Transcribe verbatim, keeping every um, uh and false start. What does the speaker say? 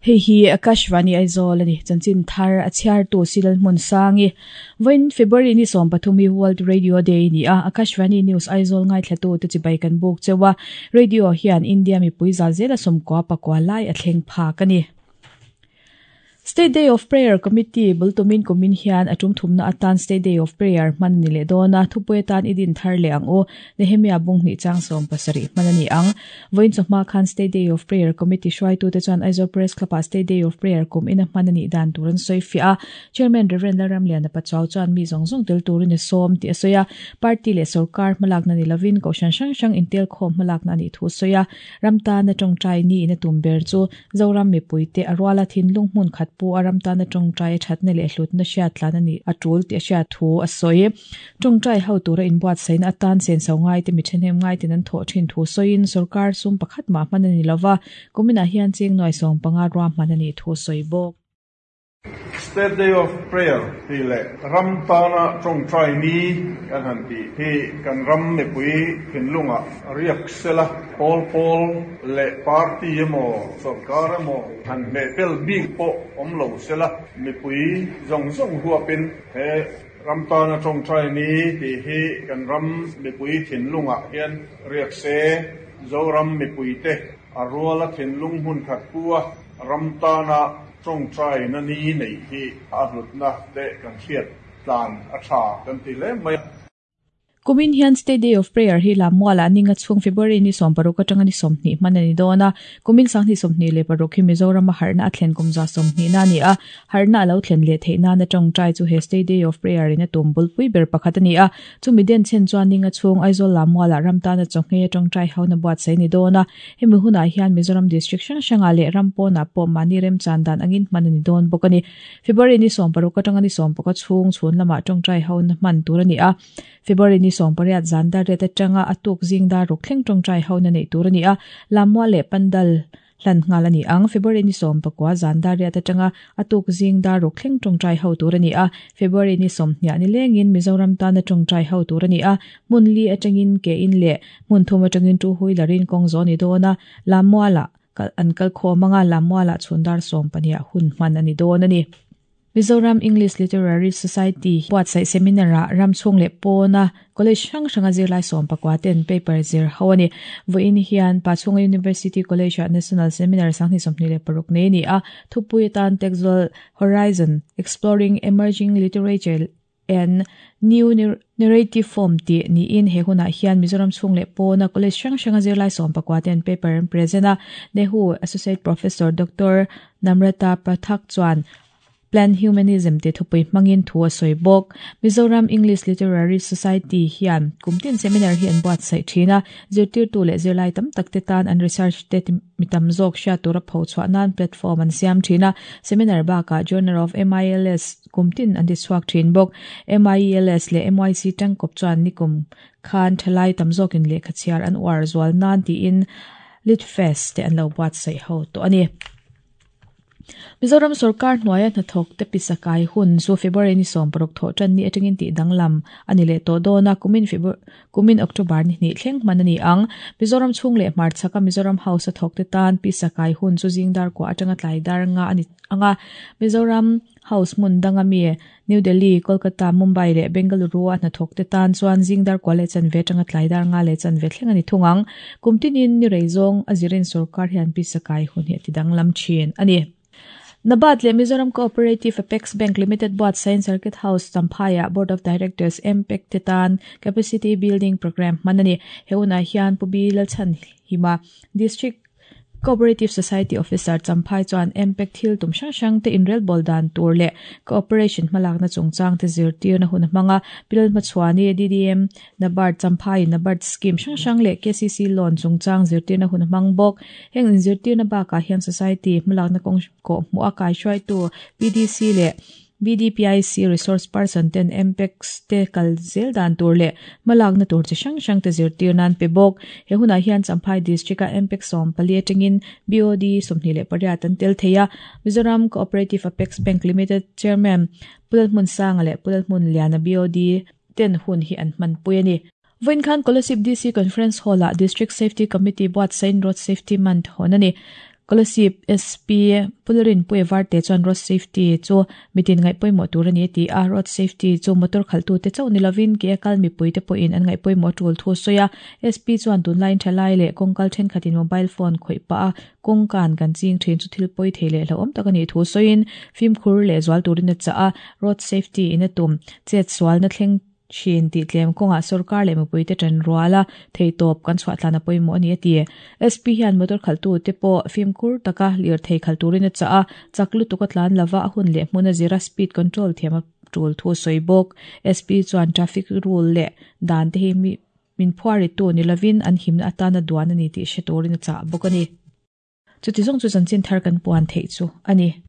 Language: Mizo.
Hei hi Akashvani Aizawl ani chanchin thar a chhiar tu Silal hmun sangi voin February ni som pathum hi World Radio Day ni a Akashvani News Aizawl ngai thlatu te chibai kan buk chewa radio hian India mi puiza zela som kwa pakwa lai a thleng pha kani. State Day of Prayer Committee bultumin kumin hian atum thumna atan State Day of Prayer man ni le dona thupui tan idin thar le ang o Nehemia bung ni chang som pasari manani ang voin choma khan State Day of Prayer Committee shwai tu te chuan Aizawl Press Club a State Day of Prayer kum ina manani dan turan soi fia Chairman Reverend Laram Lian pachaw chuan mi zong zong tel turin som ti asoya party le sarkar malak na ni lavin ko shan sang sang intel khom malak na ni thu soya ramta na tong trai ni na tumber chu zoram mi puite arwala thin lung mun khat pu aram ta na tong trai that na le hlut na sha tlan ani atul ti sha thu asoi tong trai ho tura in buat sain atan sen so ngai te mi thenem ngai tin an tho thin thu soin sarkar sum pakhat ma man ani lova kumina hian ching noi song panga ro man ani thu soi bok. State Day of Prayer ti le ram tana tong trai ni kan han ti hi kan ram me pui thinlunga riak sela pol pol le party emo sarkar emo han me pel big po om lo sela me pui zong zong huwa pin he ram tana tong trai ni ti hi kan ram me pui thinlunga hian riak se zoram me pui te arwala thinlung hun khat puwa ram tana tong trai na ni nei hi a hlut na te kan thiat tlan a tha kan ti le mai. Kumin hian State Day of Prayer hi lamwala ninga chung February ni som paruk atanga ni som ni manani dona kumin sang ni som ni le paruk hi Mizoram harna athlen kumza som ni na ni a harna lo thlen le theina na tong trai chu he State Day of Prayer in a tumbul pui ber pakhat ani a chumi den chen chuan ninga chung Aizawl lamwala ramta na chonghe tong trai hauna buat sai ni dona hemi huna hian Mizoram district sang sanga le rampona po mani rem chandan angin manani don bokani February ni som paruk atanga ni som paka chung chhun lama tong trai hauna man tur ani a February ni som pariat zanda reta tanga atuk jingda ruk thleng tong trai hauna nei tur ani a lamwa le pandal hlan ngalani ang February ni som pakwa zanda reta tanga atuk jingda ruk thleng tong trai ho tur ani a February ni som hnia ni lengin Mizoram ta na tong trai ho tur ani a munli atangin ke in le mun thum atangin tu hui larin kong zoni dona lamwa la an kal kho manga lamwa la chundar som pania hun man ani don ani. Mizoram English Literary Society buat sai seminar ramchung le pona college sang sanga zirlai som pakwa ten paper zir hawani voin hian Pachunga University College National Seminar sang ni somni le paruk ne ni a thupui tan textual horizon exploring emerging literature and new narrative form ti ni in he huna hian Mizoram chung le pona college sang sanga zirlai som pakwa ten paper and present a Nehu Associate Professor Doctor Namrata Pathak chuan Plan Humanism te thupui mangin thua soibok Mizoram English Literary Society hian kumtin seminar hi an buat sai thina zirtir tu le zirlai tam takte tan an research te mitam zok sha tura pho chwa nan platform an siam thina seminar ba ka Journal of M I L S kumtin an di swak thin bok M I L S le M Y C tang kop chuan nikum khan thalai tam zokin le khachiar an war zwal nan ti in lit fest te an lo buat sai ho to ani. Mizoram sarkar hnuaia hnathawk te pisakai hun chu February ni som paruk tho tan ni atangin ti danglam ani le to dona kumin February kumin October ni ni thleng man ani ang Mizoram chung le March chaka Mizoram House a thawk te tan pisakai hun chu jingdar ko atanga tlai dar nga ani anga Mizoram House mun danga mi New Delhi Kolkata Mumbai le Bengaluru a hnathawk te tan chuan jingdar ko le chan ve tanga tlai dar nga le chan ve thleng ani thungang kumtinin ni reizong azirin sarkar hian pisakai hun hi ti danglam chin ani. Nabat le Mizoram Cooperative Apex Bank Limited Board Science Circuit House Champhaya Board of Directors M P E C Tetan Capacity Building Program manani heuna hian pubi lalchan hima District Cooperative Society Officer Champhai chuan M P E C thil tum sang sang te inrel boldan tur le cooperation malak na chungchang te zirtir na hun hmanga pilal machwani D D M Nabard Champhai Nabard scheme sang sang le K C C loan chungchang zirtir na hun hmang bok heng in zirtir na ba ka hian society malak na kong ko mu akai shwai tu P D C le B D P I C resource person ten M P E C te kal zel dan tur le malak na tur chi sang sang te zirtir nan pe bok he huna hian Champhai district a M P E C som pali atangin B O D somni le pariat an tel theia Mizoram Cooperative Apex Bank Limited Chairman Pulal Mun Sang le Pulal Mun Liana B O D ten hun hi an man pui ani. Voin khan Kolasib D C Conference Hall a District Safety Committee buat sain Road Safety Month honani. Kolasib S P Pullerin Puevar te chuan road safety chu mitin ngai pawimawh tur ani ti a. Road safety chu motor khaltu te chauh nilovin ke kal mipui te pawhin an ngai pawimawh tul thu sawi a. S P chuan tunlai thalai leh kawngkal thenkhatin mobile phone khawih pa a kawngkan kan ching thin chu thil pawi thei leh hlauhawm tak ani thu sawiin fimkhur leh zual turin a chah a. Road safety in a tum chet sual na thleng thin ti tlem kawnga sarkar leh mipui te tan ruala thei tawp kan chhuah tlan a pawimawh ani a ti. S P hian motor khaltu te pawh fimkhur taka lir thei khal turin a chah a. Chak lutuk a tlan lova a hun leh hmun a zira speed control thiam a tul thu sawi bawk. S P chuan traffic rule leh dan te hi mi min phuari tu ni lovin an himna atana duan ani tih hre turin a chah bawk ani. Chuti zawng chu chanchin thar kan puan theih chu ani.